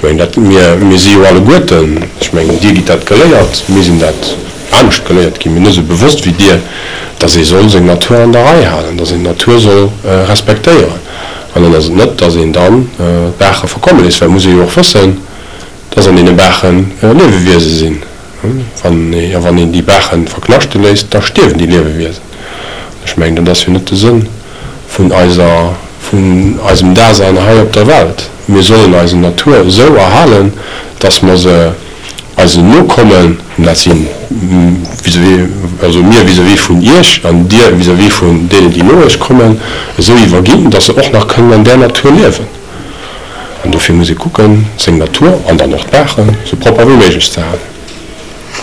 mengen, dat, mir, mir si jo alleguerten, ech mengen, Dir gitt dat geléiert, mir sinn dat anescht geléiert ginn, mee net esou bewosst wéi Dir, dass ee soll seng Natur an der Rei halen, dass een d'Natur soll respektéieren. An dann ass et net, dass een dann d'Baache verkomme léisst, well et muss ee jo och wëssen, dass an deene Baache Liewewiese sinn. Wann ee, a wann een déi Baache verknaschte léisst, da stierwen déi Liewewiesen. Ech mengen, dat ass jo net de Sënn vun eiser, vun eisem Dasein hei op der Welt. Mir sollen eise Natur esou erhalen, dass mer se eisen Nokommen, an dat si vis-à-vis, also mir vis-à-vis vun Iech an Dir vis-à-vis vun deenen, déi no Iech kommen, esou iwwerginn, dass se och nach kënnen an där Natur liewen. An dofir muss ee kucken, seng Natur an dann och d'Baachen esou propper wéi méiglech ze halen.